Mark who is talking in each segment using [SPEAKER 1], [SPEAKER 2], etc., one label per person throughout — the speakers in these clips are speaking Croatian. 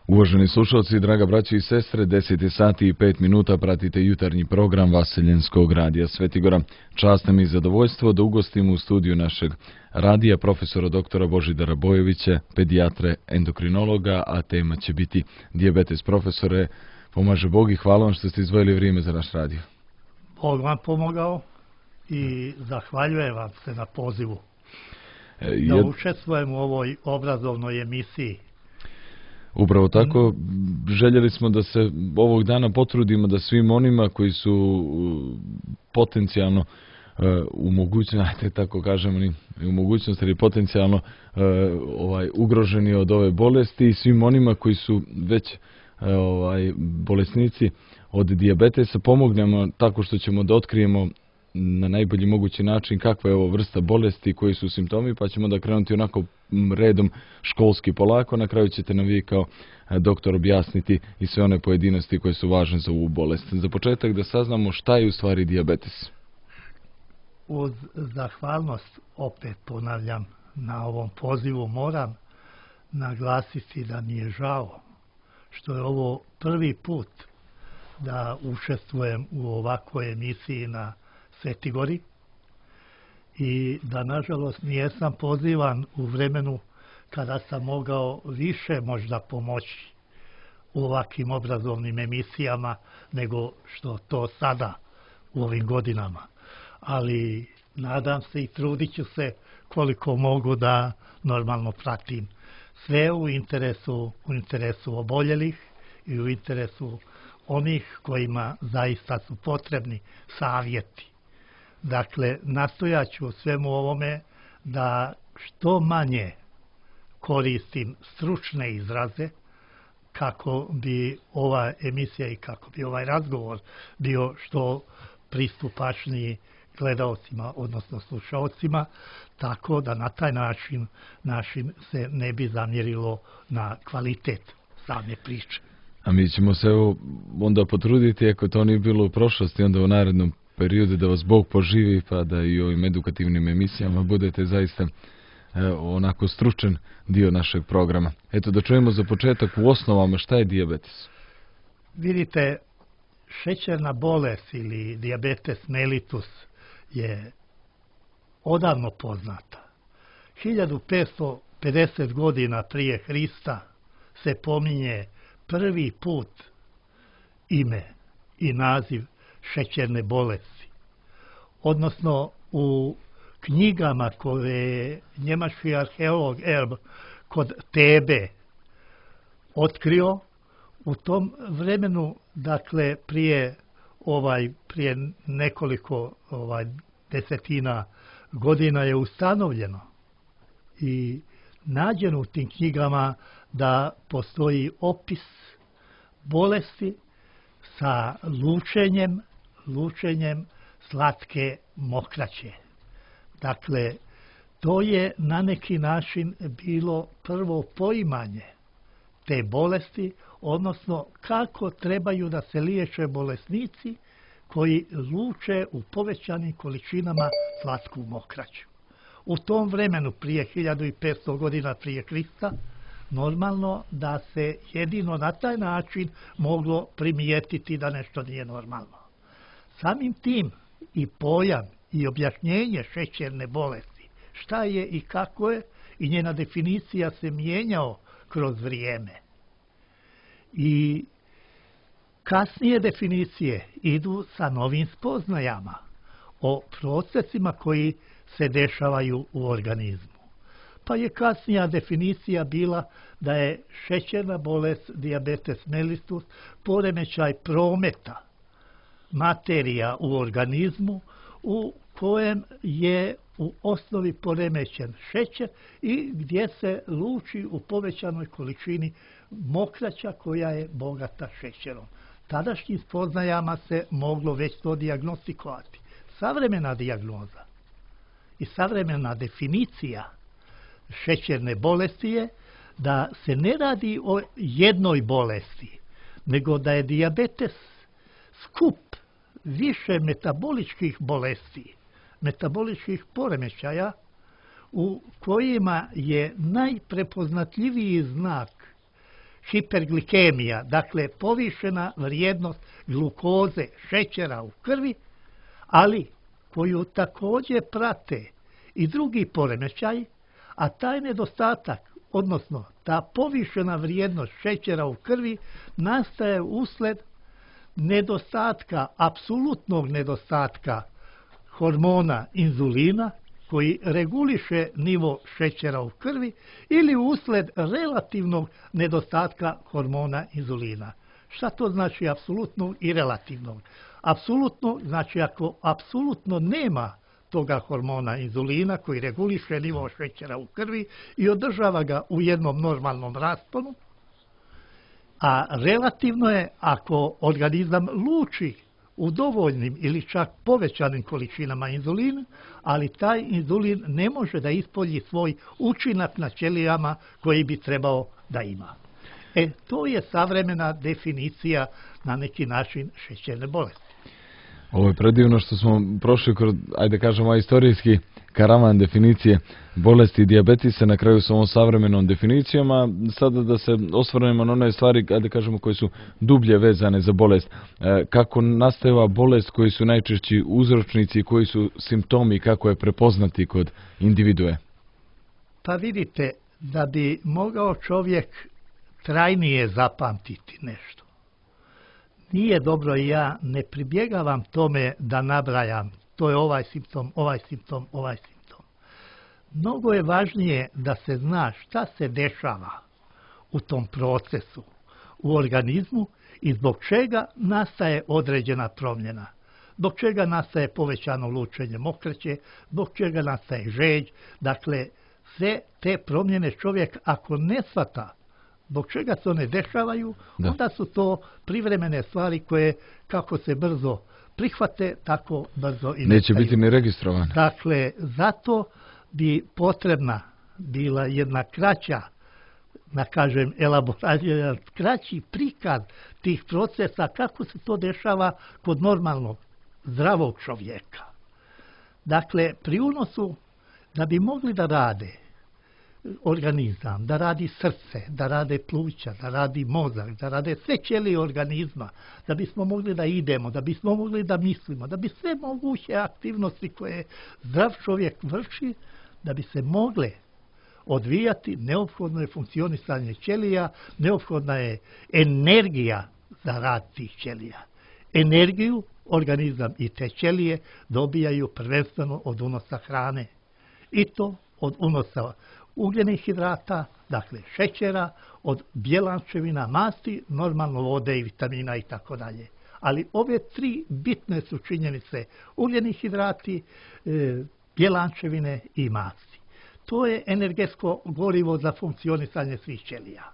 [SPEAKER 1] Uvaženi slušalci, draga braći i sestre, 10 sati i 5 minuta pratite jutarnji program Vaseljenskog radija Svetigora. Čast nam i zadovoljstvo da ugostimo u studiju našeg radija profesora doktora Božidara Bojovića, pedijatre, endokrinologa, a tema će biti dijabetes. Profesore, pomaže Bog i hvala vam što ste izdvojili vrijeme za naš radio.
[SPEAKER 2] Bog vam pomogao i zahvaljujem vam se na pozivu da učestvujem u ovoj obrazovnoj emisiji.
[SPEAKER 1] Upravo tako, željeli smo da se ovog dana potrudimo da svim onima koji su potencijalno u mogućnosti, tako kažemo, u mogućnosti ili potencijalno ugroženi od ove bolesti i svim onima koji su već bolesnici od dijabetesa pomognemo tako što ćemo da otkrijemo na najbolji mogući način kakva je ovo vrsta bolesti i koji su simptomi, pa ćemo da krenuti onako redom školski polako. Na kraju ćete nam vi kao doktor objasniti i sve one pojedinosti koje su važne za ovu bolest. Za početak da saznamo šta je u stvari dijabetes.
[SPEAKER 2] Uz zahvalnost, opet ponavljam, na ovom pozivu moram naglasiti da mi je žao što je ovo prvi put da učestvujem u ovakvoj emisiji na Svetigori i da nažalost nijesam pozivan u vremenu kada sam mogao više možda pomoći u ovakvim obrazovnim emisijama nego što to sada u ovim godinama. Ali nadam se i trudit ću se koliko mogu da normalno pratim sve u interesu oboljelih i u interesu onih kojima zaista su potrebni savjeti. Dakle, nastojat ću u svemu ovome da što manje koristim stručne izraze kako bi ova emisija i kako bi ovaj razgovor bio što pristupačniji gledaocima, odnosno slušaocima, tako da na taj način se ne bi zamjerilo na kvalitet same priče.
[SPEAKER 1] A mi ćemo se onda potruditi, ako to nije bilo u prošlosti, onda u narednom periodu da vas Bog poživi, pa da i u ovim edukativnim emisijama budete zaista onako stručan dio našeg programa. Eto, da čujemo za početak u osnovama šta je dijabetes.
[SPEAKER 2] Vidite, šećerna bolest ili dijabetes mellitus je odavno poznata. 1550 godina prije Hrista se pominje prvi put ime i naziv šećerne bolesti. Odnosno u knjigama koje je njemački arheolog Erb kod Tebe otkrio, u tom vremenu, dakle prije nekoliko desetina godina je ustanovljeno i nađeno u tim knjigama da postoji opis bolesti sa lučenjem slatke mokraće. Dakle, to je na neki način bilo prvo poimanje te bolesti, odnosno kako trebaju da se liječe bolesnici koji luče u povećanim količinama slatku mokraću. U tom vremenu, prije 1500 godina prije Krista, normalno da se jedino na taj način moglo primijetiti da nešto nije normalno. Samim tim i pojam i objašnjenje šećerne bolesti, šta je i kako je, i njena definicija se mijenjao kroz vrijeme. I kasnije definicije idu sa novim spoznajama o procesima koji se dešavaju u organizmu. Pa je kasnija definicija bila da je šećerna bolest, dijabetes mellitus, poremećaj prometa materija u organizmu u kojem je u osnovi poremećen šećer i gdje se luči u povećanoj količini mokraća koja je bogata šećerom. Tadašnjim spoznajama se moglo već to dijagnostikovati. Savremena dijagnoza i savremena definicija šećerne bolesti je da se ne radi o jednoj bolesti, nego da je dijabetes skup više metaboličkih bolesti, metaboličkih poremećaja u kojima je najprepoznatljiviji znak hiperglikemija, dakle povišena vrijednost glukoze, šećera u krvi, ali koju također prate i drugi poremećaji, a taj nedostatak, odnosno ta povišena vrijednost šećera u krvi nastaje usled nedostatka, apsolutnog nedostatka hormona inzulina koji reguliše nivo šećera u krvi ili usled relativnog nedostatka hormona inzulina. Šta to znači apsolutnog i relativnog? Apsolutno znači ako apsolutno nema toga hormona inzulina koji reguliše nivo šećera u krvi i održava ga u jednom normalnom rasponu, a relativno je ako organizam luči u dovoljnim ili čak povećanim količinama inzulina, ali taj inzulin ne može da ispolji svoj učinak na ćelijama koji bi trebao da ima. To je savremena definicija na neki način šećerne bolesti.
[SPEAKER 1] Ovo je predivno što smo prošli kroz, ajde kažemo, istorijski karavan definicije bolesti dijabetisa na kraju s ovom savremenom definicijom, a sada da se osvrnemo na one stvari, ajde kažemo, koje su dublje vezane za bolest. Kako nastaje ova bolest, koji su najčešći uzročnici, koji su simptomi, kako je prepoznati kod individue?
[SPEAKER 2] Pa vidite, da bi mogao čovjek trajnije zapamtiti nešto, nije dobro i ja ne pribjegavam tome da nabrajam, to je ovaj simptom, ovaj simptom, ovaj simptom. Mnogo je važnije da se zna šta se dešava u tom procesu, u organizmu i zbog čega nastaje određena promjena. Zbog čega nastaje povećano lučenje mokraće, zbog čega nastaje žeđ. Dakle, sve te promjene čovjek ako ne shvata zbog čega se one dešavaju, onda su to privremene stvari koje kako se brzo prihvate, tako brzo i
[SPEAKER 1] neće biti ni registrovane.
[SPEAKER 2] Dakle, zato bi potrebna bila jedna kraća, da kažem, elaboracija, kraći prikaz tih procesa kako se to dešava kod normalnog, zdravog čovjeka. Dakle, pri unosu, da bi mogli da rade organizam, da radi srce, da rade pluća, da radi mozak, da rade sve ćelije organizma, da bismo mogli da idemo, da bismo mogli da mislimo, da bi sve moguće aktivnosti koje zdrav čovjek vrši, da bi se mogle odvijati, neophodno je funkcionisanje ćelija, neophodna je energija za rad tih ćelija. Energiju organizam i te ćelije dobijaju prvenstveno od unosa hrane. I to od unosa ugljenih hidrata, dakle šećera, od bjelančevina, masti, normalno vode i vitamina i tako dalje. Ali ove tri bitne su činjenice: ugljeni hidrati, bjelančevine i masti. To je energetsko gorivo za funkcionisanje svih ćelija.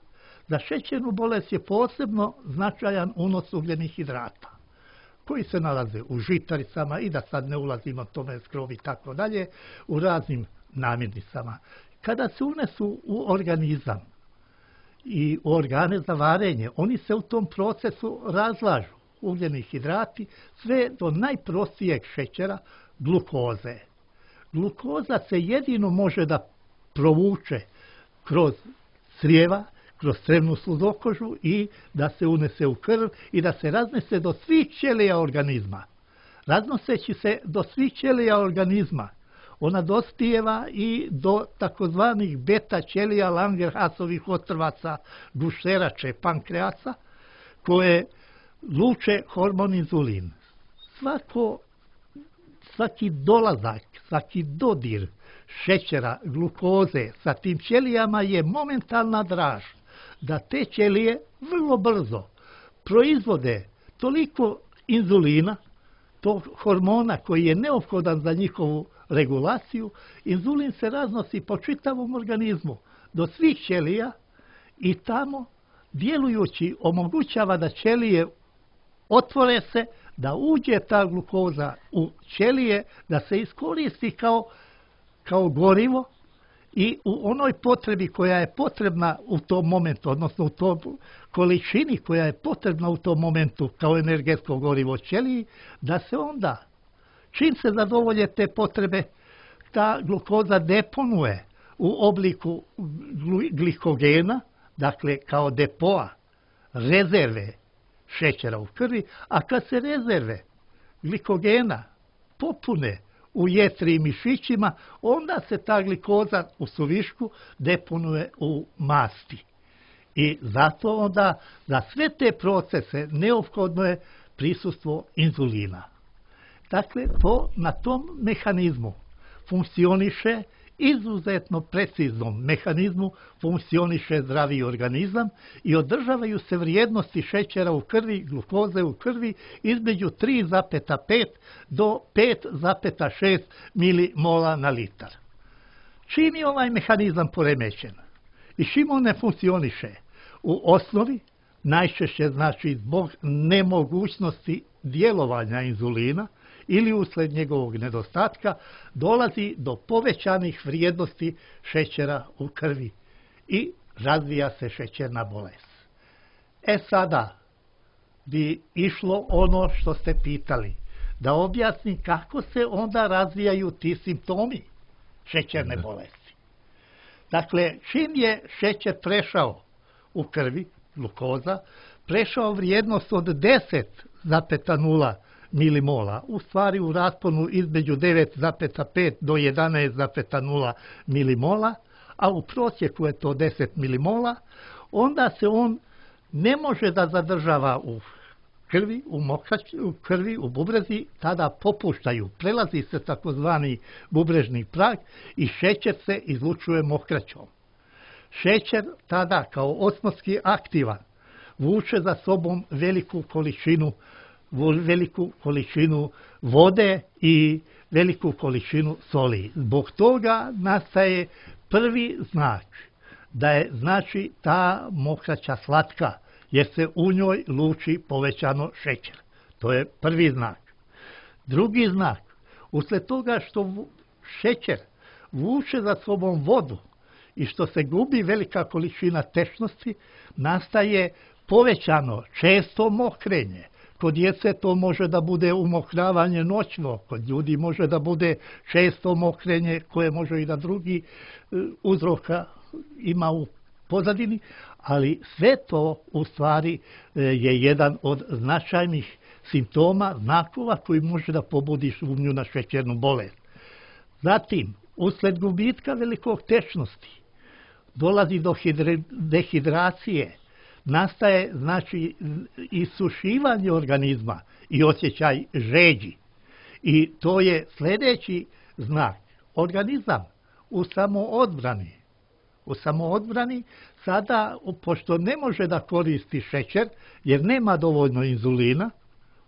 [SPEAKER 2] Za šećernu bolest je posebno značajan unos ugljenih hidrata, koji se nalaze u žitaricama i da sad ne ulazimo tome skrovi i tako dalje, u raznim namirnicama. Kada se unesu u organizam i u organe za varenje, oni se u tom procesu razlažu, ugljeni hidrati, sve do najprostijeg šećera, glukoze. Glukoza se jedino može da provuče kroz crijeva, kroz crevnu sluzokožu i da se unese u krv i da se raznese do svih ćelija organizma. Raznoseći se do svih ćelija organizma, ona dospijeva i do takozvanih beta ćelija Langerhansovih otrvaca, gušterače, pankreasa, koje luče hormon inzulin. Svaki dolazak, svaki dodir šećera, glukoze sa tim ćelijama je momentalna draž, da te ćelije vrlo brzo proizvode toliko inzulina, tog hormona koji je neophodan za njihovu regulaciju. Inzulin se raznosi po čitavom organizmu do svih ćelija i tamo djelujući omogućava da ćelije otvore se, da uđe ta glukoza u ćelije, da se iskoristi kao gorivo i u onoj potrebi koja je potrebna u tom momentu, odnosno u toj količini koja je potrebna u tom momentu kao energetsko gorivo ćeliji, da se onda, čim se zadovolje te potrebe, ta glukoza deponuje u obliku glikogena, dakle kao depoa, rezerve šećera u krvi, a kad se rezerve glikogena popune u jetri i mišićima, onda se ta glikoza u suvišku deponuje u masti. I zato onda za sve te procese neophodno je prisustvo inzulina. Dakle, na tom mehanizmu funkcioniše, izuzetno preciznom mehanizmu funkcioniše zdravi organizam i održavaju se vrijednosti šećera u krvi, glukoze u krvi između 3,5 do 5,6 milimola na litar. Čim je ovaj mehanizam poremećen i čim on ne funkcioniše, u osnovi, najčešće znači zbog nemogućnosti djelovanja inzulina ili usled njegovog nedostatka, dolazi do povećanih vrijednosti šećera u krvi i razvija se šećerna bolest. Sada bi išlo ono što ste pitali, da objasnim kako se onda razvijaju ti simptomi šećerne bolesti. Dakle, čim je šećer prešao u krvi, glukoza, prešao vrijednost od 10,0 milimola, u stvari u rasponu između 9,5 do 11,0 milimola, a u prosjeku je to 10 milimola, onda se on ne može da zadržava u krvi, u krvi, u bubrezi, tada popuštaju, prelazi se takozvani bubrežni prag i šećer se izlučuje mokraćom. Šećer tada kao osmotski aktivan vuče za sobom veliku količinu vode i veliku količinu soli. Zbog toga nastaje prvi znak da je znači ta mokraća slatka, jer se u njoj luči povećano šećer. To je prvi znak. Drugi znak, usled toga što šećer vuče za sobom vodu i što se gubi velika količina tečnosti, nastaje povećano često mokrenje. Kod djece to može da bude umokravanje noćno, kod ljudi može da bude često mokrenje koje može i da drugi uzroka ima u pozadini, ali sve to u stvari je jedan od značajnih simptoma, znakova koji može da pobudi sumnju na šećernu bolest. Zatim, usled gubitka velikog tečnosti, dolazi do dehidracije, nastaje znači isušivanje organizma i osjećaj žeđi. I to je sljedeći znak. Organizam u samoodbrani sada, pošto ne može da koristi šećer, jer nema dovoljno inzulina,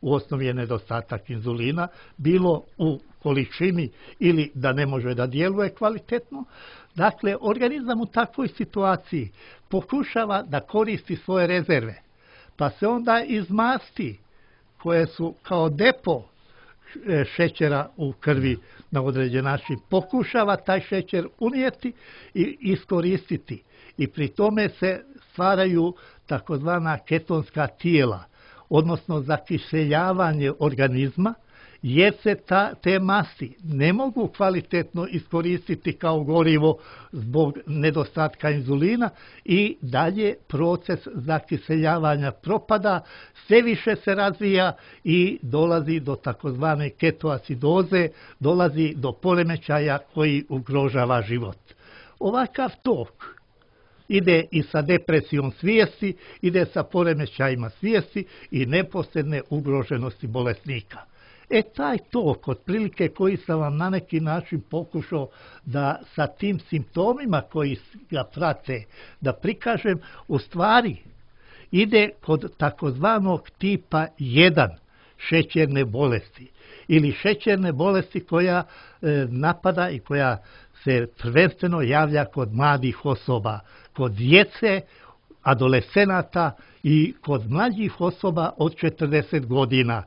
[SPEAKER 2] u osnovi je nedostatak inzulina, bilo u količini ili da ne može da djeluje kvalitetno. Dakle, organizam u takvoj situaciji pokušava da koristi svoje rezerve, pa se onda iz masti, koje su kao depo šećera u krvi na određen način, pokušava taj šećer unijeti i iskoristiti. I pri tome se stvaraju takozvana ketonska tijela, odnosno zakiseljavanje organizma, jer se te masti ne mogu kvalitetno iskoristiti kao gorivo zbog nedostatka inzulina i dalje proces zakiseljavanja propada, sve više se razvija i dolazi do takozvane ketoacidoze, dolazi do poremećaja koji ugrožava život. Ovakav tok ide i sa depresijom svijesti, ide sa poremećajima svijesti i neposredne ugroženosti bolesnika. Taj tok, otprilike koji sam vam na neki način pokušao da sa tim simptomima koji ga prate da prikažem, u stvari ide kod takozvanog tipa 1 šećerne bolesti ili šećerne bolesti koja napada i koja se prvenstveno javlja kod mladih osoba, kod djece, adolescenata i kod mlađih osoba od 40 godina.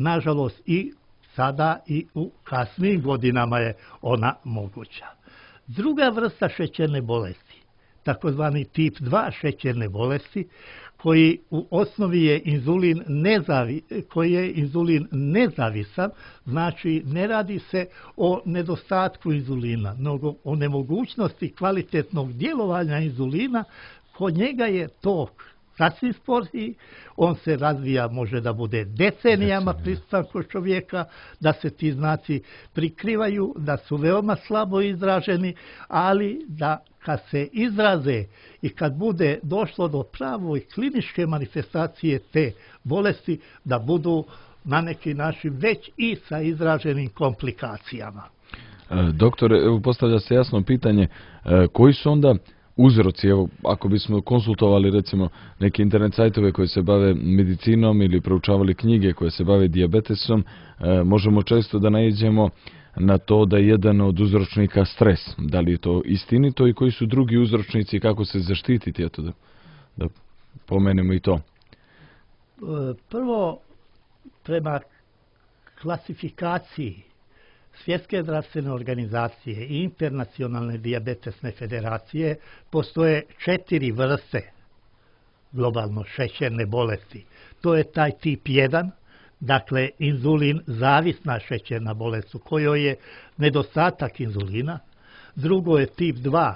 [SPEAKER 2] Nažalost, i sada i u kasnijim godinama je ona moguća. Druga vrsta šećerne bolesti, takozvani tip 2 šećerne bolesti, koji u osnovi je inzulin nezavisan, znači ne radi se o nedostatku inzulina, nego o nemogućnosti kvalitetnog djelovanja inzulina kod njega je to sasvim sporiji, on se razvija, može da bude decenijama prisutan kod čovjeka, da se ti znaci prikrivaju, da su veoma slabo izraženi, ali da kad se izraze i kad bude došlo do pravoj kliničke manifestacije te bolesti, da budu na neki način već i sa izraženim komplikacijama.
[SPEAKER 1] Doktore, evo postavlja se jasno pitanje, koji su onda uzroci, evo, ako bismo konsultovali recimo neke internet sajtove koji se bave medicinom ili proučavali knjige koje se bave dijabetesom, možemo često da naiđemo na to da je jedan od uzročnika stres. Da li je to istinito i koji su drugi uzročnici i kako se zaštititi? Eto da pomenemo i to.
[SPEAKER 2] Prvo, prema klasifikaciji Svjetske zdravstvene organizacije i Internacionalne dijabetesne federacije postoje 4 vrste globalno šećerne bolesti. To je taj tip 1, dakle inzulin zavisna šećerna bolest u kojoj je nedostatak inzulina. Drugo je tip 2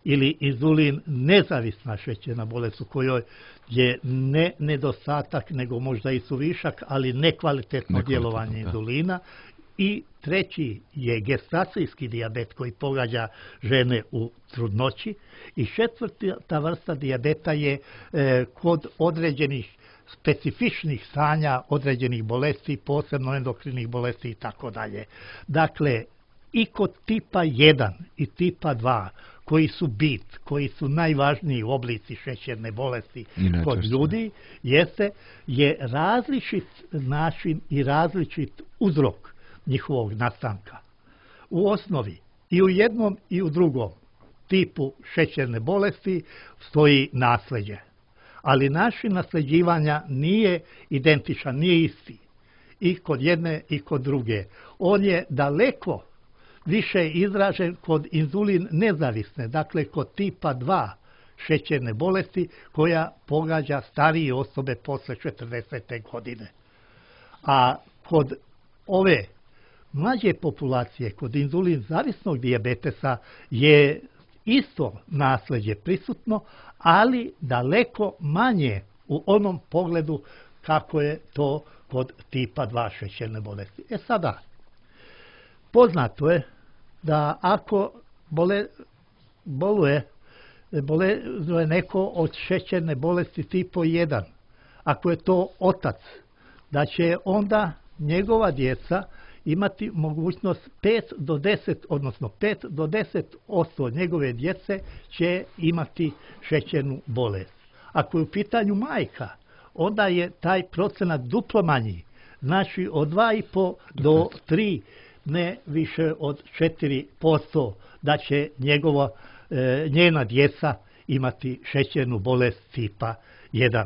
[SPEAKER 2] ili inzulin nezavisna šećerna bolest u kojoj je ne nedostatak nego možda i suvišak, ali nekvalitetno djelovanje inzulina. I treći je gestacijski dijabet koji pogađa žene u trudnoći. I četvrta vrsta dijabeta je kod određenih specifičnih stanja, određenih bolesti, posebno endokrinih bolesti i tako dalje. Dakle, i kod tipa 1 i tipa 2, koji su koji su najvažniji oblici šećerne bolesti kod ljudi, je različit način i različit uzrok njihovog nastanka. U osnovi i u jednom i u drugom tipu šećerne bolesti stoji nasljeđe. Ali način nasljeđivanja nije identičan, nije isti. I kod jedne i kod druge. On je daleko više izražen kod inzulin nezavisne, dakle kod tipa 2 šećerne bolesti koja pogađa starije osobe posle 40. godine. A kod ove mlađe populacije, kod inzulin zavisnog dijabetesa je isto nasljeđe prisutno, ali daleko manje u onom pogledu kako je to kod tipa 2 šećerne bolesti. Sada, poznato je da ako boluje neko od šećerne bolesti tipa 1, ako je to otac, da će onda njegova djeca imati mogućnost 5 do 10, odnosno 5 do 10% njegove djece će imati šećernu bolest. Ako je u pitanju majka, onda je taj procenat duplo manji, znači od 2,5 do 3, ne više od 4% da će njena djeca imati šećernu bolest tipa 1.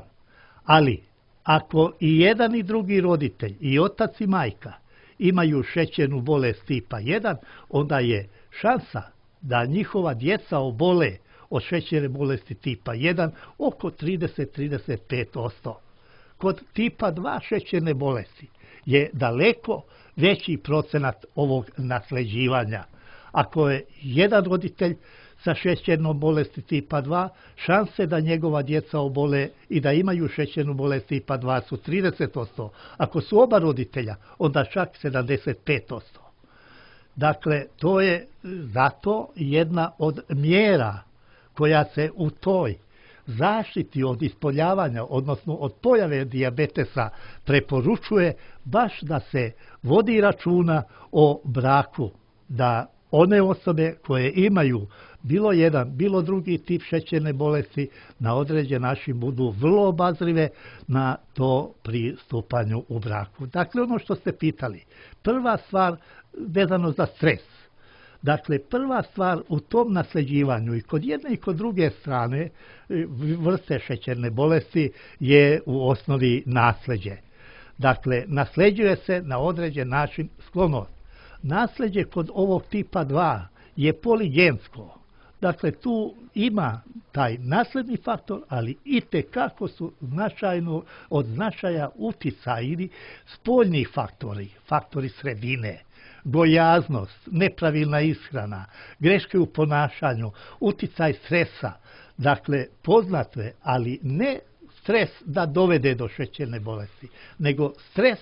[SPEAKER 2] Ali, ako i jedan i drugi roditelj, i otac i majka, imaju šećernu bolest tipa 1, onda je šansa da njihova djeca obole od šećerne bolesti tipa 1 oko 30-35%. Kod tipa 2 šećerne bolesti je daleko veći procenat ovog nasljeđivanja. Ako je jedan roditelj sa šećernom bolesti tipa 2, šanse da njegova djeca obole i da imaju šećernu bolest tipa 2 su 30%. Ako su oba roditelja, onda čak 75%. Dakle, to je zato jedna od mjera koja se u toj zaštiti od ispoljavanja, odnosno od pojave dijabetesa preporučuje baš da se vodi računa o braku, da one osobe koje imaju bilo jedan, bilo drugi tip šećerne bolesti na određen način budu vrlo obazrive na to pri stupanju u braku. Dakle, ono što ste pitali, prva stvar vezano za stres. Dakle, prva stvar u tom nasljeđivanju i kod jedne i kod druge strane vrste šećerne bolesti je u osnovi nasljeđe. Dakle, nasljeđuje se na određen način sklonost. Nasljeđe kod ovog tipa 2 je poligensko. Dakle, tu ima taj nasljedni faktor, ali itekako su od značaja uticajni spoljni faktori, faktori sredine, gojaznost, nepravilna ishrana, greške u ponašanju, uticaj stresa. Dakle, poznato je, ali ne stres da dovede do šećerne bolesti, nego stres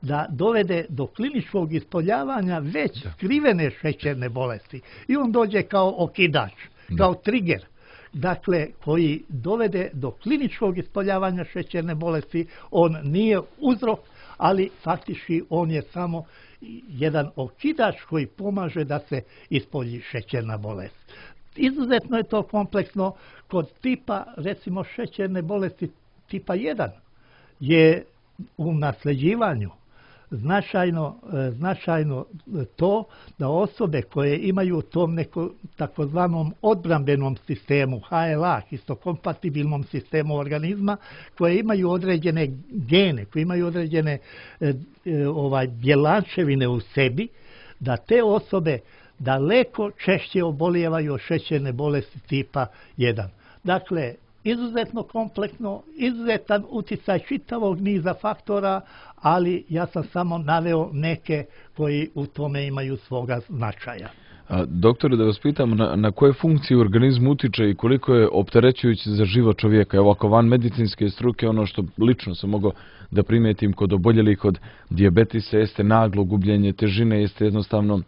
[SPEAKER 2] da dovede do kliničkog ispoljavanja već skrivene šećerne bolesti. I on dođe kao okidač, kao trigger, dakle, koji dovede do kliničkog ispoljavanja šećerne bolesti. On nije uzrok, ali faktički on je samo jedan okidač koji pomaže da se ispolji šećerna bolest. Izuzetno je to kompleksno. Kod tipa, recimo, šećerne bolesti tipa 1 je u nasljeđivanju značajno to da osobe koje imaju u tom takozvanom odbrambenom sistemu, HLA, histokompatibilnom sistemu organizma, koje imaju određene gene, koje imaju određene bjelančevine u sebi, da te osobe daleko češće obolijevaju od šećerne bolesti tipa 1. Dakle, izuzetno kompleksno, izuzetan utjecaj čitavog niza faktora, ali ja sam samo naveo neke koji u tome imaju svoga značaja.
[SPEAKER 1] Doktore, da vas pitam, na koje funkcije u organizmu utiče i koliko je opterećujući za život čovjeka? Evo, ako van medicinske struke, ono što lično sam mogao da primijetim kod oboljelih od dijabetisa jeste naglo gubljenje težine, jeste jednostavno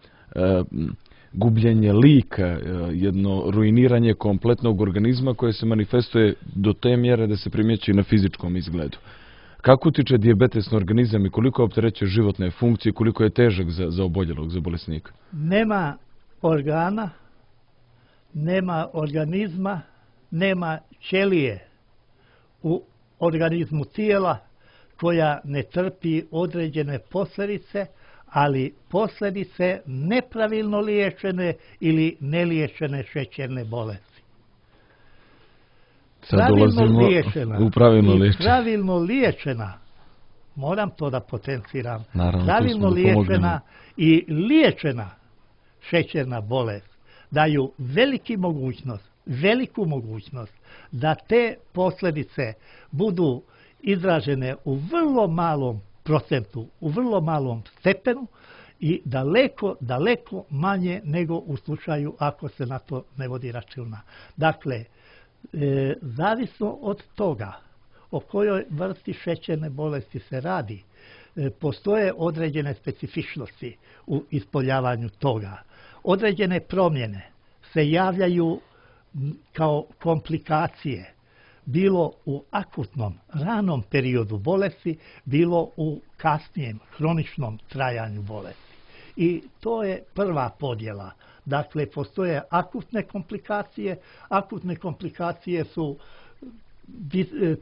[SPEAKER 1] gubljenje lika, jedno ruiniranje kompletnog organizma koje se manifestuje do te mjere da se primjećuje na fizičkom izgledu. Kako utiče dijabetes na organizam i koliko opterećuje životne funkcije, koliko je težak za oboljelog, za bolesnika?
[SPEAKER 2] Nema organa, nema organizma, nema ćelije u organizmu tijela koja ne trpi određene posljedice, ali posljedice nepravilno liječene ili neliječene šećerne bolesti. Pravilno liječena, moram to da potenciram, pravilno liječena i liječena šećerna bolest daju veliku mogućnost da te posljedice budu izražene u vrlo malom procentu, u vrlo malom stepenu i daleko manje nego u slučaju ako se na to ne vodi računa. Dakle, zavisno od toga o kojoj vrsti šećerne bolesti se radi, postoje određene specifičnosti u ispoljavanju toga. Određene promjene se javljaju kao komplikacije, bilo u akutnom, ranom periodu bolesti, bilo u kasnijem, hroničnom trajanju bolesti. I to je prva podjela. Dakle, postoje akutne komplikacije. Akutne komplikacije su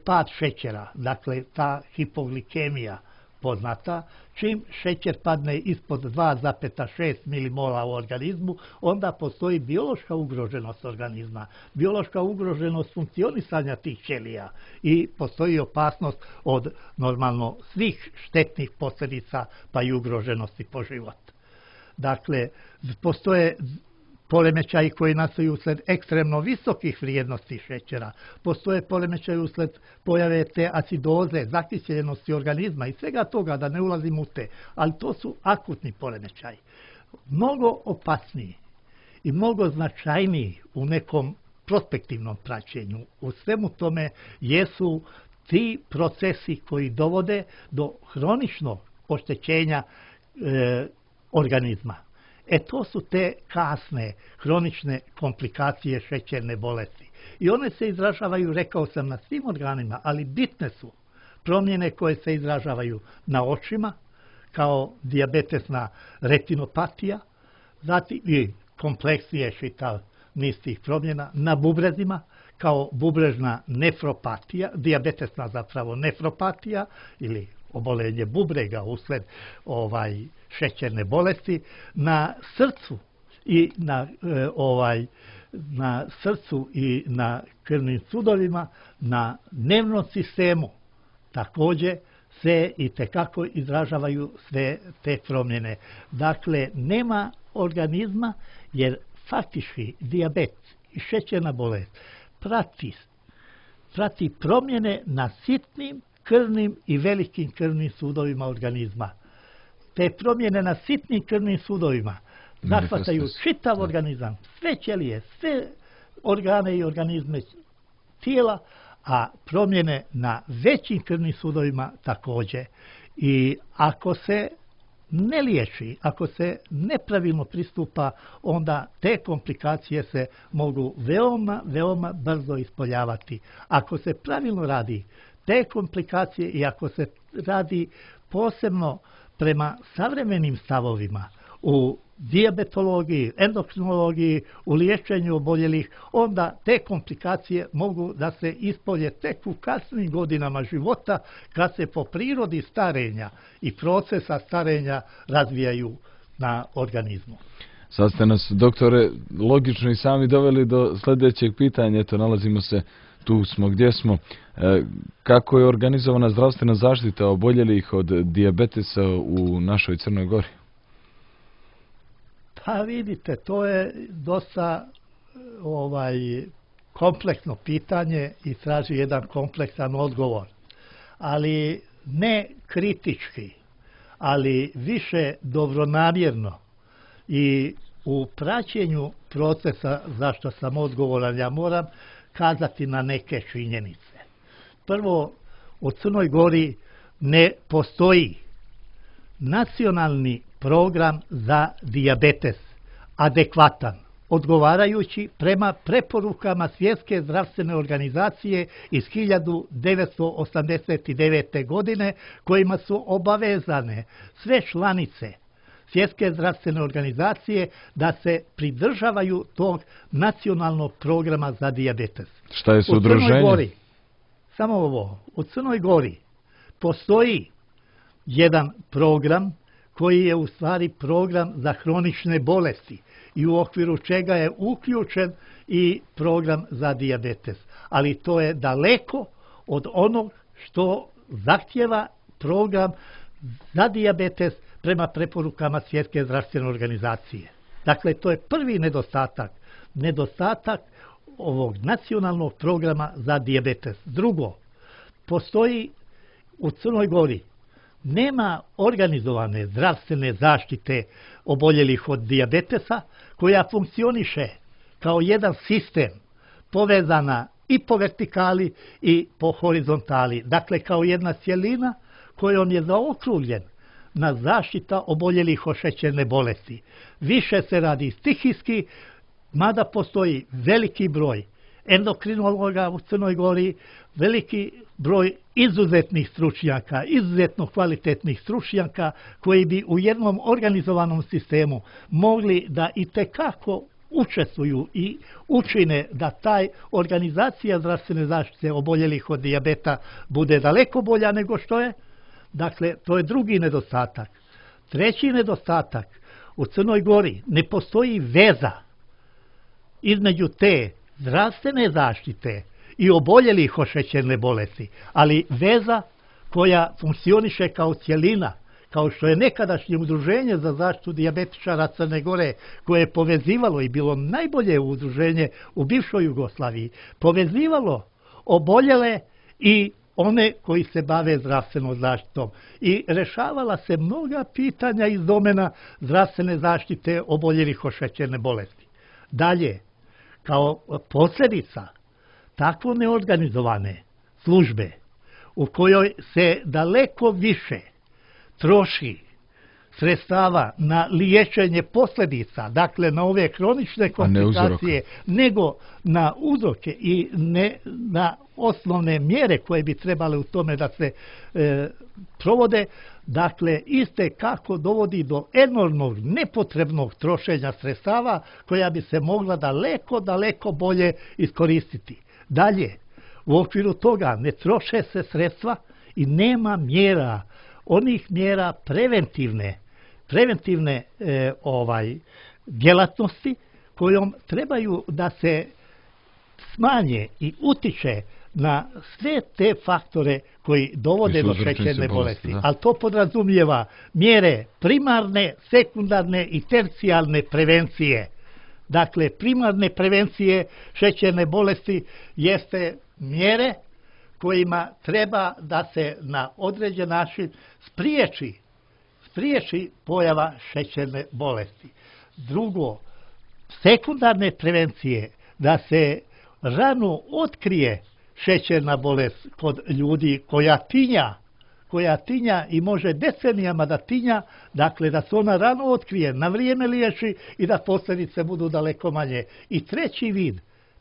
[SPEAKER 2] pad šećera, dakle, ta hipoglikemija poznata. Čim šećer padne ispod 2,6 milimola u organizmu, onda postoji biološka ugroženost organizma, biološka ugroženost funkcionisanja tih ćelija i postoji opasnost od normalno svih štetnih posljedica pa i ugroženosti po život. Dakle, postoje poremećaji koji nastaju usled ekstremno visokih vrijednosti šećera, postoje poremećaji usled pojave te acidoze, zakiseljenosti organizma i svega toga, da ne ulazim u te, ali to su akutni poremećaji. Mnogo opasniji i mnogo značajniji u nekom prospektivnom praćenju u svemu tome jesu ti procesi koji dovode do hroničnog oštećenja organizma. To su te kasne, hronične komplikacije šećerne bolesti. I one se izražavaju, rekao sam, na svim organima, ali bitne su promjene koje se izražavaju na očima, kao dijabetesna retinopatija, zatim i kompleksnije čitav niz tih promjena, na bubrezima, kao bubrežna nefropatija, dijabetesna zapravo nefropatija ili obolenje bubrega usled šećerne bolesti, na srcu i na srcu i na krvnim sudovima, na nervnom sistemu također se itekako izražavaju sve te promjene. Dakle, nema organizma, jer faktički dijabet i šećerna bolest prati promjene na sitnim krvnim i velikim krvnim sudovima organizma. Te promjene na sitnim krvnim sudovima zahvataju čitav organizam, sve ćelije, sve organe i organizme tijela, a promjene na većim krvnim sudovima također. I ako se ne liječi, ako se nepravilno pristupa, onda te komplikacije se mogu veoma brzo ispoljavati. Ako se pravilno radi, te komplikacije, i ako se radi posebno prema savremenim stavovima u dijabetologiji, endokrinologiji, u liječenju oboljelih, onda te komplikacije mogu da se ispolje tek u kasnim godinama života, kad se po prirodi starenja i procesa starenja razvijaju na organizmu.
[SPEAKER 1] Sad ste nas, doktore, logično i sami doveli do sljedećeg pitanja. Eto, nalazimo se, tu smo gdje smo. Kako je organizovana zdravstvena zaštita oboljelih od dijabetesa u našoj Crnoj Gori?
[SPEAKER 2] Pa vidite, to je dosta kompleksno pitanje i traži jedan kompleksan odgovor. Ali ne kritički, ali više dobronamjerno i u praćenju procesa zašto sam odgovoran, ja moram kazati na neke činjenice. Prvo, u Crnoj Gori ne postoji nacionalni program za dijabetes adekvatan, odgovarajući prema preporukama Svjetske zdravstvene organizacije iz 1989. godine, kojima su obavezane sve članice Svjetske zdravstvene organizacije da se pridržavaju tog nacionalnog programa za dijabetes.
[SPEAKER 1] Šta je s udruženjem?
[SPEAKER 2] Samo ovo, u Crnoj Gori postoji jedan program koji je u stvari program za hronične bolesti i u okviru čega je uključen i program za dijabetes. Ali to je daleko od onog što zahtjeva program za dijabetes prema preporukama Svjetske zdravstvene organizacije. Dakle, to je prvi nedostatak. Nedostatak ovog nacionalnog programa za dijabetes. Drugo, postoji u Crnoj Gori nema organizovane zdravstvene zaštite oboljelih od dijabetesa koja funkcioniše kao jedan sistem povezana i po vertikali i po horizontali. Dakle, kao jedna cjelina kojom je zaokružen na zaštita oboljelih od šećerne bolesti. Više se radi stihijski, mada postoji veliki broj endokrinologa u Crnoj Gori, veliki broj izuzetnih stručnjaka, izuzetno kvalitetnih stručnjaka koji bi u jednom organizovanom sistemu mogli da itekako učestvuju i učine da taj organizacija zdravstvene zaštite oboljelih od dijabeta bude daleko bolja nego što je. Dakle, to je drugi nedostatak. Treći nedostatak, u Crnoj Gori ne postoji veza između te zdravstvene zaštite i oboljelih od šećerne bolesti, ali veza koja funkcioniše kao cjelina, kao što je nekadašnje udruženje za zaštitu dijabetičara Crne Gore, koje je povezivalo i bilo najbolje udruženje u bivšoj Jugoslaviji, povezivalo oboljele i one koji se bave zdravstvenom zaštitom i rešavala se mnoga pitanja iz domena zdravstvene zaštite oboljelih od šećerne bolesti. Dalje, kao posljedica tako neorganizovane službe u kojoj se daleko više troši sredstava na liječenje posljedica, dakle na ove kronične komplikacije, nego na uzroke i ne na osnovne mjere koje bi trebale u tome da se provode, dakle iste kako dovodi do enormnog nepotrebnog trošenja sredstava koja bi se mogla daleko bolje iskoristiti. Dalje, u okviru toga ne troše se sredstva i nema mjera, onih mjera preventivne djelatnosti kojom trebaju da se smanje i utiče na sve te faktore koji dovode do šećerne bolesti. Ali to podrazumijeva mjere primarne, sekundarne i tercijalne prevencije. Dakle, primarne prevencije šećerne bolesti jeste mjere kojima treba da se na određen način spriječi pojava šećerne bolesti. Drugo, sekundarne prevencije, da se rano otkrije šećerna bolest kod ljudi koja tinja i može decenijama da tinja, dakle da se ona rano otkrije, na vrijeme liječi i da posljedice budu daleko manje. I treći vid,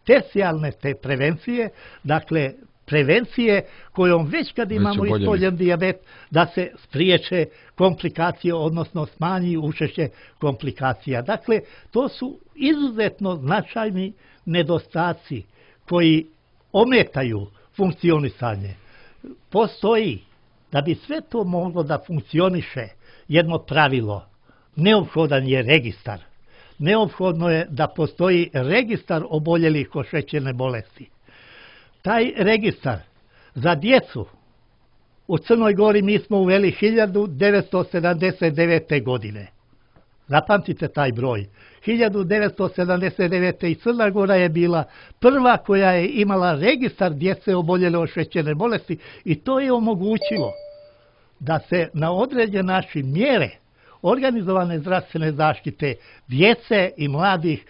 [SPEAKER 2] tercijalne te prevencije, dakle prevencije kojom već kad imamo ispoljen dijabet, da se spriječe komplikacije, odnosno smanji učešće komplikacija. Dakle, to su izuzetno značajni nedostaci koji ometaju funkcionisanje. Postoji, da bi sve to moglo da funkcioniše, jedno pravilo. Neophodan je registar. Neophodno je da postoji registar oboljelih od šećerne bolesti. Taj registar za djecu u Crnoj Gori mi smo uveli 1979. godine. Zapamtite taj broj. 1979. i Crna Gora je bila prva koja je imala registar djece oboljele od šećerne bolesti i to je omogućilo da se na određen način mjere organizovane zdravstvene zaštite djece i mladih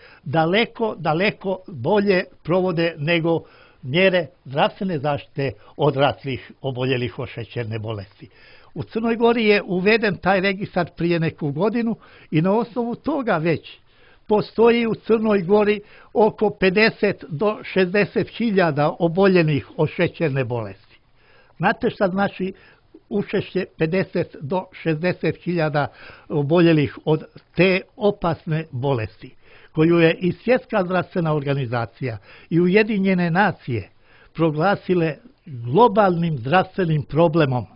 [SPEAKER 2] daleko bolje provode nego mjere zdravstvene zaštite odraslih oboljelih od šećerne bolesti. U Crnoj Gori je uveden taj registar prije neku godinu i na osnovu toga već postoji u Crnoj Gori oko 50 do 60 hiljada oboljenih od šećerne bolesti. Znate šta znači učešće 50 do 60 hiljada oboljelih od te opasne bolesti, koju je i Svjetska zdravstvena organizacija i Ujedinjene nacije proglasile globalnim zdravstvenim problemom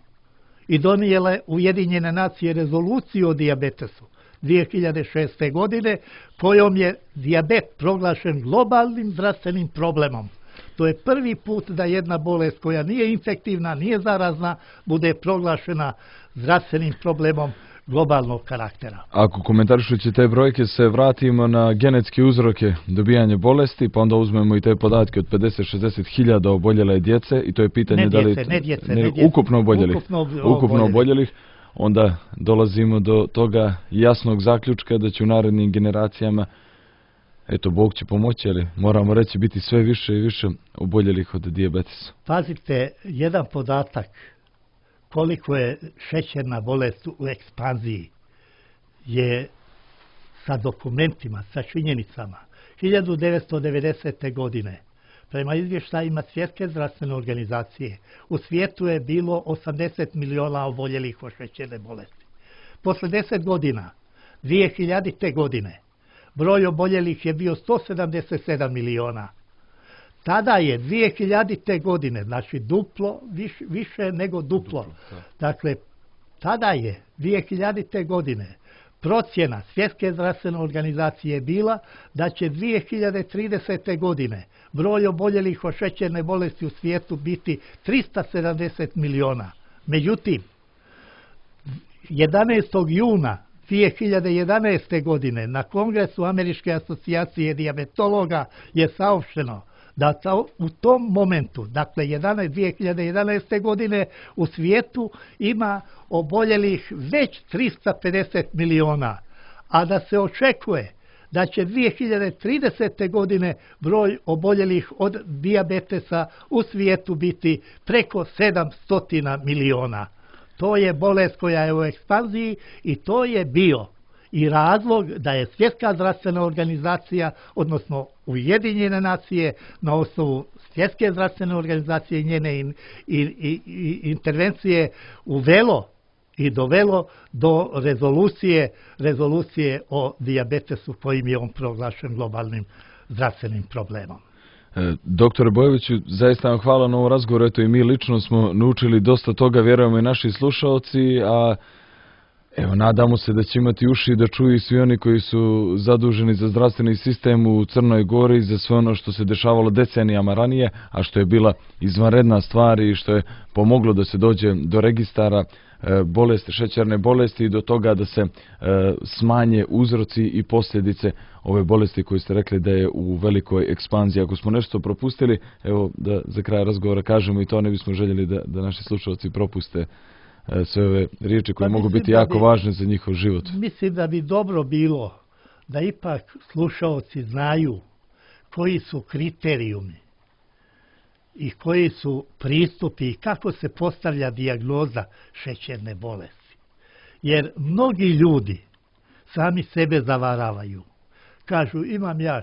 [SPEAKER 2] i donijele Ujedinjene nacije rezoluciju o dijabetesu 2006. godine, kojom je dijabet proglašen globalnim zdravstvenim problemom. To je prvi put da jedna bolest koja nije infektivna, nije zarazna, bude proglašena zdravstvenim problemom globalnog karaktera.
[SPEAKER 1] Ako komentarišući te brojke se vratimo na genetske uzroke dobijanja bolesti, pa onda uzmemo i te podatke od 50-60 hiljada oboljele djece i to je pitanje ukupno oboljelih, onda dolazimo do toga jasnog zaključka da će u narednim generacijama, eto, Bog će pomoći, ali moramo reći biti sve više i više oboljelih od dijabetesa.
[SPEAKER 2] Pazite, jedan podatak koliko je šećerna bolest u ekspanziji je sa dokumentima, sa činjenicama. 1990. godine, prema izvještajima Svjetske zdravstvene organizacije, u svijetu je bilo 80 miliona oboljelih od šećerne bolesti. Posle 10 godina, 2000. godine, broj oboljelih je bio 177 miliona. Tada je 2000. godine, znači duplo, više nego duplo. Dakle, tada je 2000. godine procjena Svjetske zdravstvene organizacije bila da će 2030. godine broj oboljelih od šećerne bolesti u svijetu biti 370 miliona. Međutim, 11. juna 2011. godine na Kongresu Američke asocijacije dijabetologa je saopšteno da u tom momentu, dakle 2011. godine, u svijetu ima oboljelih već 350 miliona, a da se očekuje da će 2030. godine broj oboljelih od dijabetesa u svijetu biti preko 700 miliona. To je bolest koja je u ekspanziji i to je bio i razlog da je Svjetska zdravstvena organizacija, odnosno Ujedinjene nacije, na osnovu Svjetske zdravstvene organizacije i njene intervencije uvelo i dovelo do rezolucije o dijabetesu kojim je on proglašen globalnim zdravstvenim problemom.
[SPEAKER 1] Doktore Bojoviću, zaista vam hvala na ovom razgovoru, eto i mi lično smo naučili dosta toga, vjerujemo i naši slušaoci, a evo, nadamo se da će imati uši da čuju i svi oni koji su zaduženi za zdravstveni sistem u Crnoj Gori, za sve ono što se dešavalo decenijama ranije, a što je bila izvanredna stvar i što je pomoglo da se dođe do registara bolesti, šećerne bolesti i do toga da se smanje uzroci i posljedice ove bolesti koje ste rekli da je u velikoj ekspanziji. Ako smo nešto propustili, evo da za kraj razgovora kažemo i to, ne bismo željeli da naši slušalci propuste sve ove riječi koje mogu biti jako važne za njihov život.
[SPEAKER 2] Mislim da bi dobro bilo da ipak slušalci znaju koji su kriterijumi i koji su pristupi i kako se postavlja dijagnoza šećerne bolesti. Jer mnogi sami sebe zavaravaju. Kažu, imam ja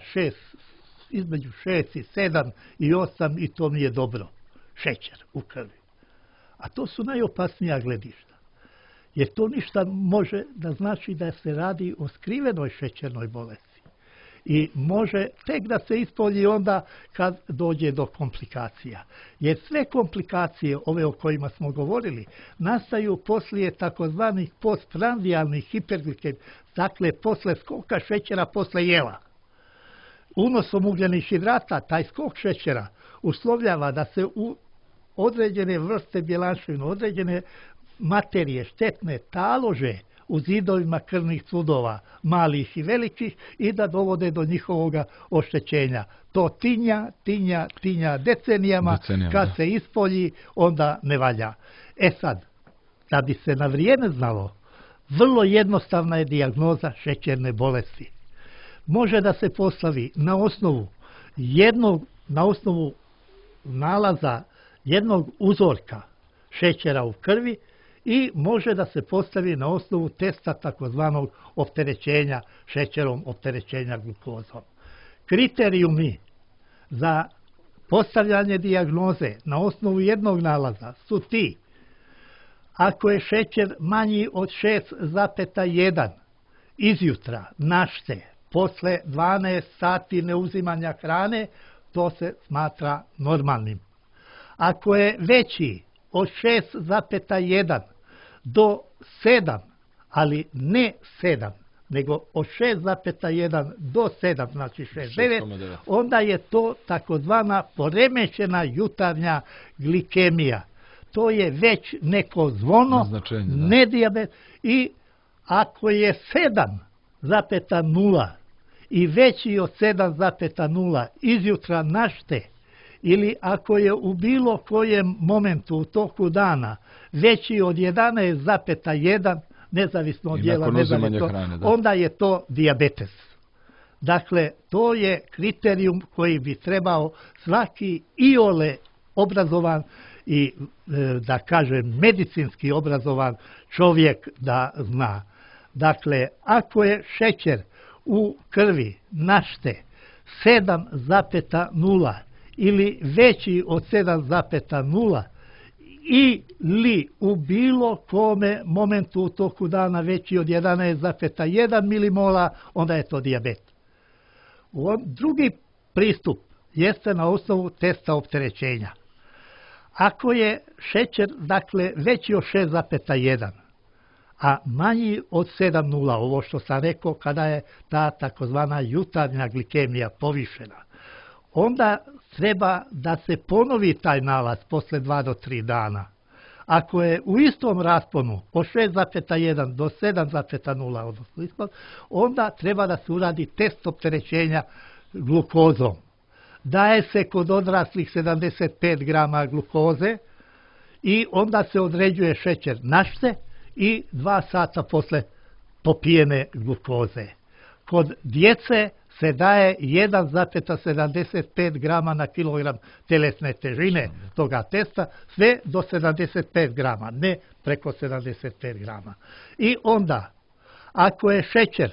[SPEAKER 2] između 6 i 7 i 8 i to mi je dobro. Šećer u krvi. A to su najopasnija gledišta. Jer to ništa može da znači da se radi o skrivenoj šećernoj bolesti. I može tek da se ispolji onda kad dođe do komplikacija. Jer sve komplikacije, ove o kojima smo govorili, nastaju poslije takozvanih postprandijalnih hiperglikemija, dakle posle skoka šećera posle jela. Unosom ugljenih hidrata, taj skok šećera uslovljava da se u određene vrste bjelančevina, određene materije štetne talože u zidovima krvnih sudova, malih i velikih, i da dovode do njihovog oštećenja. To tinja decenijama, kad se ispolji, onda ne valja. Sad, da bi se na vrijeme znalo, vrlo jednostavna je dijagnoza šećerne bolesti. Može da se postavi na osnovu nalaza jednog uzorka šećera u krvi i može da se postavi na osnovu testa takozvanog opterećenja šećerom, opterećenja glukozom. Kriterijumi za postavljanje dijagnoze na osnovu jednog nalaza su ti: ako je šećer manji od 6,1 izjutra, našte, posle 12 sati neuzimanja hrane, to se smatra normalnim. Ako je veći od 6,1 do 7, ali ne 7, nego od 6,1 do 7, znači 6,9, onda je to takozvana poremećena jutarnja glikemija. To je već neko zvono, ne dijabet. I ako je 7,0 i veći od 7,0 izjutra našte, ili ako je u bilo kojem momentu u toku dana veći od 11,1, nezavisno od dijela, onda je to dijabetes. Dakle, to je kriterijum koji bi trebao svaki iole obrazovan i, da kažem, medicinski obrazovan čovjek da zna. Dakle, ako je šećer u krvi našte 7,0 ili veći od 7,0 ili u bilo kome momentu u toku dana veći od 11,1 milimola, onda je to dijabet. Drugi pristup jeste na osnovu testa opterećenja. Ako je šećer, dakle, veći od 6,1, a manji od 7,0, ovo što sam rekao, kada je ta takozvana jutarnja glikemija povišena, onda treba da se ponovi taj nalaz posle 2 do 3 dana. Ako je u istom rasponu od 6,1 do 7,0, onda treba da se uradi test opterećenja glukozom. Daje se kod odraslih 75 grama glukoze i onda se određuje šećer našte i 2 sata posle popijene glukoze. Kod djece se daje 1,75 grama na kilogram telesne težine toga testa, sve do 75 grama, ne preko 75 grama. I onda, ako je šećer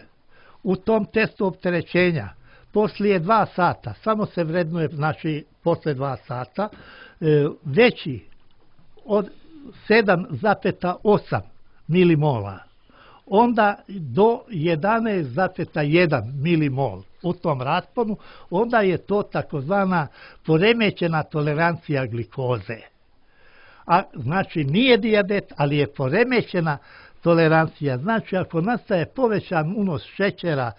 [SPEAKER 2] u tom testu opterećenja poslije 2 sata, samo se vrednuje, znači posle 2 sata, veći od 7,8 milimola, onda do 11,1 milimol u tom rasponu, onda je to takozvana poremećena tolerancija glikoze. A znači nije dijabet, ali je poremećena tolerancija. Znači ako nastaje povećan unos šećera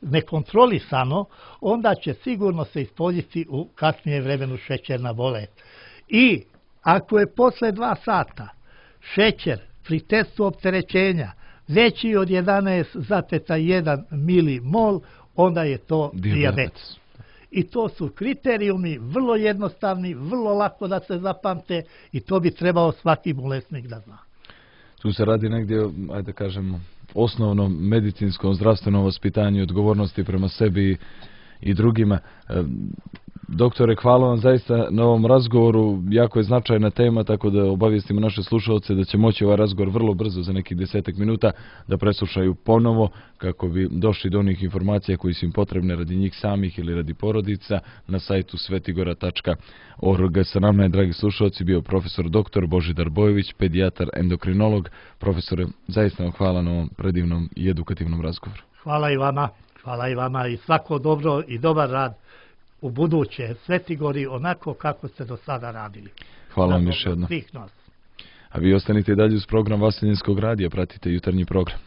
[SPEAKER 2] nekontrolisano, onda će sigurno se ispoljiti u kasnije vremenu šećerna bolest. I ako je posle 2 sata šećer pri testu opterećenja veći od 11,1 milimol, onda je to dijabetes. I to su kriterijumi vrlo jednostavni, vrlo lako da se zapamte i to bi trebao svaki bolesnik da zna.
[SPEAKER 1] Tu se radi negdje, ajde kažemo, osnovnom medicinskom zdravstvenom vaspitanju, odgovornosti prema sebi i drugima. Doktore, hvala vam zaista na ovom razgovoru. Jako je značajna tema, tako da obavijestimo naše slušalce da će moći ovaj razgovor vrlo brzo, za nekih 10 minuta, da preslušaju ponovo kako bi došli do onih informacija koji su im potrebne radi njih samih ili radi porodica na sajtu svetigora.org. Sa nama je, dragi slušalci, bio profesor dr. Božidar Bojović, pedijatar, endokrinolog. Profesore, zaista vam hvala na ovom predivnom i edukativnom razgovoru.
[SPEAKER 2] Hvala i vama i svako dobro i dobar rad u buduće Svetigori onako kako ste do sada radili.
[SPEAKER 1] Hvala vam još jednom.
[SPEAKER 2] Svih nas.
[SPEAKER 1] A vi ostanite dalje uz program Vaseljenskog radija, pratite jutarnji program.